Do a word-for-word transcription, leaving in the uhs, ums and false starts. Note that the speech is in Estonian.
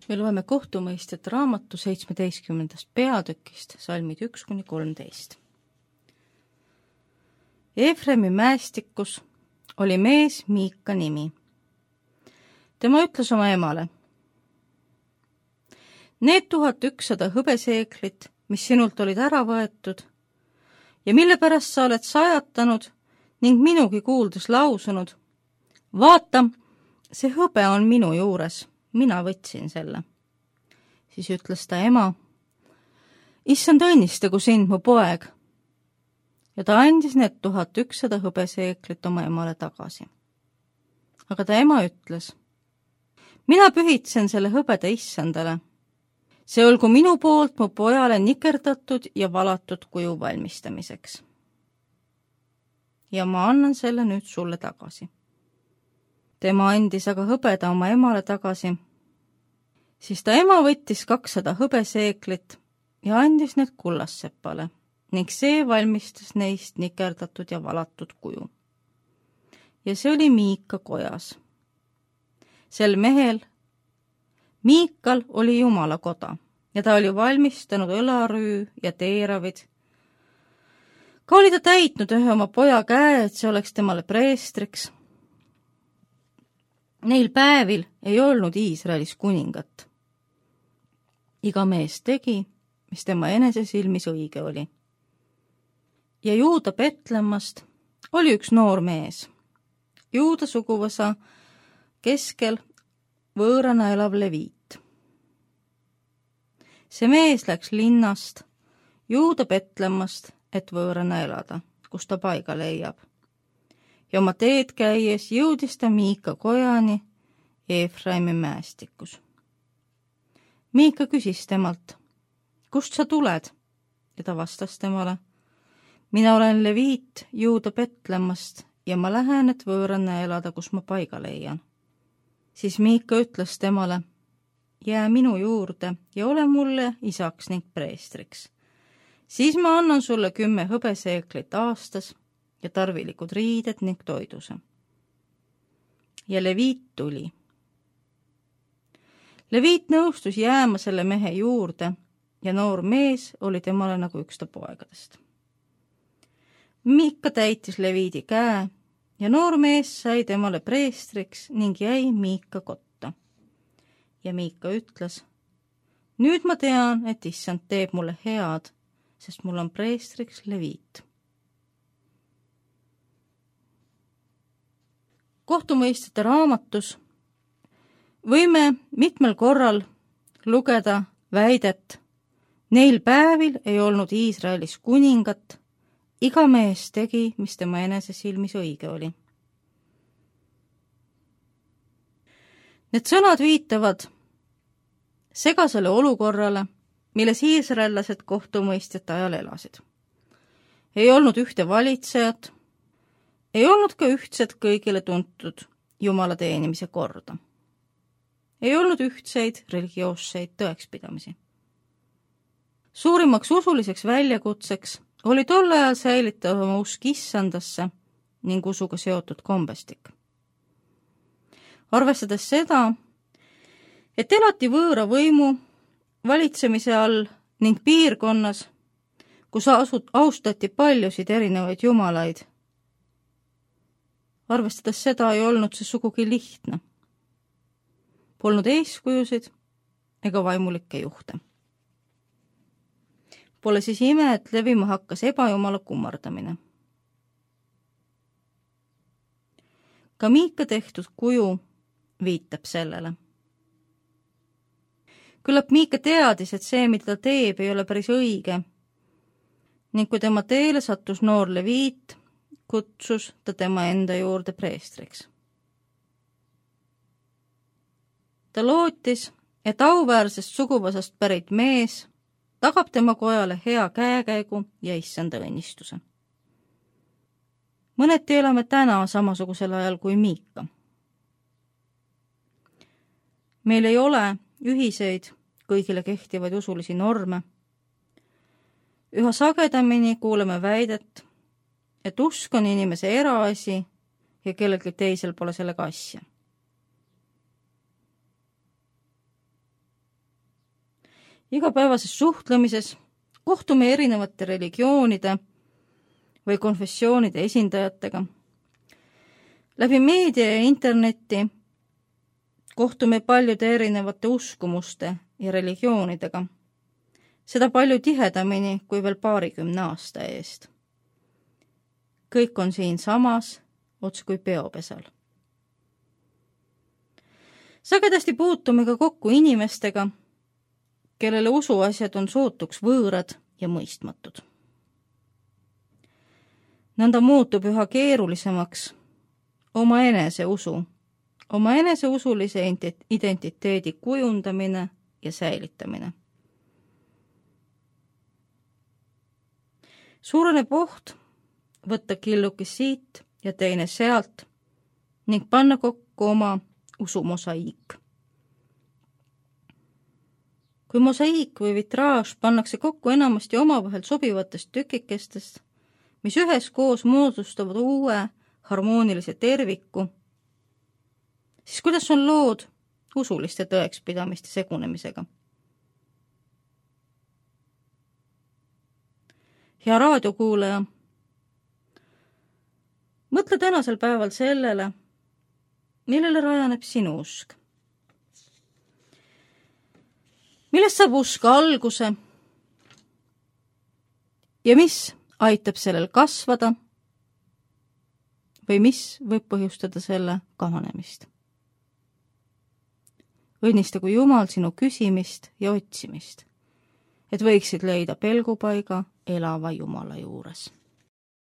Me loeme kohtumõistjate raamatu seitsmeteistkümnendast peatükist, salmid üks kuni kolmteist. Efremi mäestikus oli mees Miika nimi. Tema ütles oma emale: need tuhat ükssada hõbeseeklit, mis sinult olid ära võetud ja mille pärast sa oled sajatanud ning minugi kuuldes lausunud: vaata, see hõbe on minu juures, mina võtsin selle. Siis ütles ta ema: issand õnnistagu sind, mu poeg. Ja ta andis need tuhat ükssada hõbeseeklit oma emale tagasi. Aga ta ema ütles: mina pühitsen selle hõbeda issandale. See olgu minu poolt mu pojale nikerdatud ja valatud kuju valmistamiseks. Ja ma annan selle nüüd sulle tagasi. Tema andis aga hõbeda oma emale tagasi. Siis ta ema võttis kakssada hõbeseeklit ja andis need kullassepale ning see valmistas neist nikerdatud ja valatud kuju. Ja see oli Miika kojas. Sel mehel, Miikal, oli Jumala koda ja ta oli valmistanud õlarüü ja teeravid. Ka oli ta täitnud ühe oma poja käe, et see oleks temale preestriks. Neil päevil ei olnud Iisraelis kuningat. Iga mees tegi, mis tema enese silmis õige oli. Ja Juuda Betlemmast oli üks noor mees, Juuda suguvõsa keskel võõrana elav leviit. See mees läks linnast Juuda Betlemmast, et võõrana elada, kus ta paiga leiab. Ja oma teed käies jõudis ta Miika kojani Efraimi mäestikus. Miika küsis temalt: kust sa tuled? Ja ta vastas temale: mina olen leviit Juuda Betlemmast ja ma lähen, et võõrana elada, kus ma paiga leian. Siis Miika ütles temale: jää minu juurde ja ole mulle isaks ning preestriks. Siis ma annan sulle kümme hõbeseeklit aastas ja tarvilikud riided ning toiduse. Ja leviit tuli. Leviit nõustus jääma selle mehe juurde ja noor mees oli temale nagu üks ta poegadest. Miika täitis leviidi käe ja noor mees sai temale preestriks ning jäi Miika kotta. Ja Miika ütles: nüüd ma tean, et issand teeb mulle head, sest mul on preestriks leviit. Kohtumõistjate raamatus võime mitmel korral lugeda väidet: neil päevil ei olnud Iisraelis kuningat, iga mees tegi, mis tema enese silmis õige oli. Need sõnad viitavad segasele olukorrale, milles iisraellased kohtumõistjate ajal elasid. Ei olnud ühte valitsejat, ei olnud ka ühtset kõigile tuntud Jumala teenimise korda. Ei olnud ühtseid religioosseid tõekspidamisi. Suurimaks usuliseks väljakutseks oli tol ajal säilitada oma usk issandasse ning usuga seotud kombestik. Arvestades seda, et elati võõra võimu valitsemise all ning piirkonnas, kus austati paljusid erinevaid jumalaid, arvestades seda ei olnud see sugugi lihtne. Polnud eeskujusid ega vaimulikke juhte. Pole siis ime, et levima hakkas ebajumala kummardamine. Ka Miika tehtud kuju viitab sellele. Küllap Miika teadis, et see, mida ta teeb, ei ole päris õige, ning kui tema teele sattus noor leviit, kutsus ta tema enda juurde preestriks. Ta lootis, et auväärsest suguvõsast pärit mees tagab tema kojale hea käekäigu ja issanda õnnistuse. Mõneti elame täna samasugusel ajal kui Miika. Meil ei ole ühiseid kõigile kehtivaid usulisi norme. Üha sagedamini kuuleme väidet, et usk on inimese eraasi ja kellelgi teisel pole sellega asja. igapäevases suhtlemises kohtume erinevate religioonide või konfessioonide esindajatega. Läbi meedia ja interneti kohtume paljude erinevate uskumuste ja religioonidega. Seda palju tihedamini kui veel paarikümne aasta eest. Kõik on siin samas, ots kui peopesal. Sagedasti puutume ka kokku inimestega, kellele usuasjad on sootuks võõrad ja mõistmatud. Nõnda muutub üha keerulisemaks oma enese usu, oma enese usulise identiteedi kujundamine ja säilitamine. Suureneb oht võtta killuki siit ja teine sealt ning panna kokku oma usumosaiik. Kui mosaiik või vitraaž pannakse kokku enamasti omavahel sobivatest tükikestest, mis üheskoos moodustavad uue harmoonilise terviku, siis kuidas on lood usuliste tõekspidamiste segunemisega? Hea raadiokuulaja, mõtle tänasel päeval sellele, millele rajaneb sinu usk. Millest saab usk alguse ja mis aitab sellel kasvada või mis võib põhjustada selle kahanemist? Õnnistagu Jumal sinu küsimist ja otsimist, et võiksid leida pelgupaiga elava Jumala juures.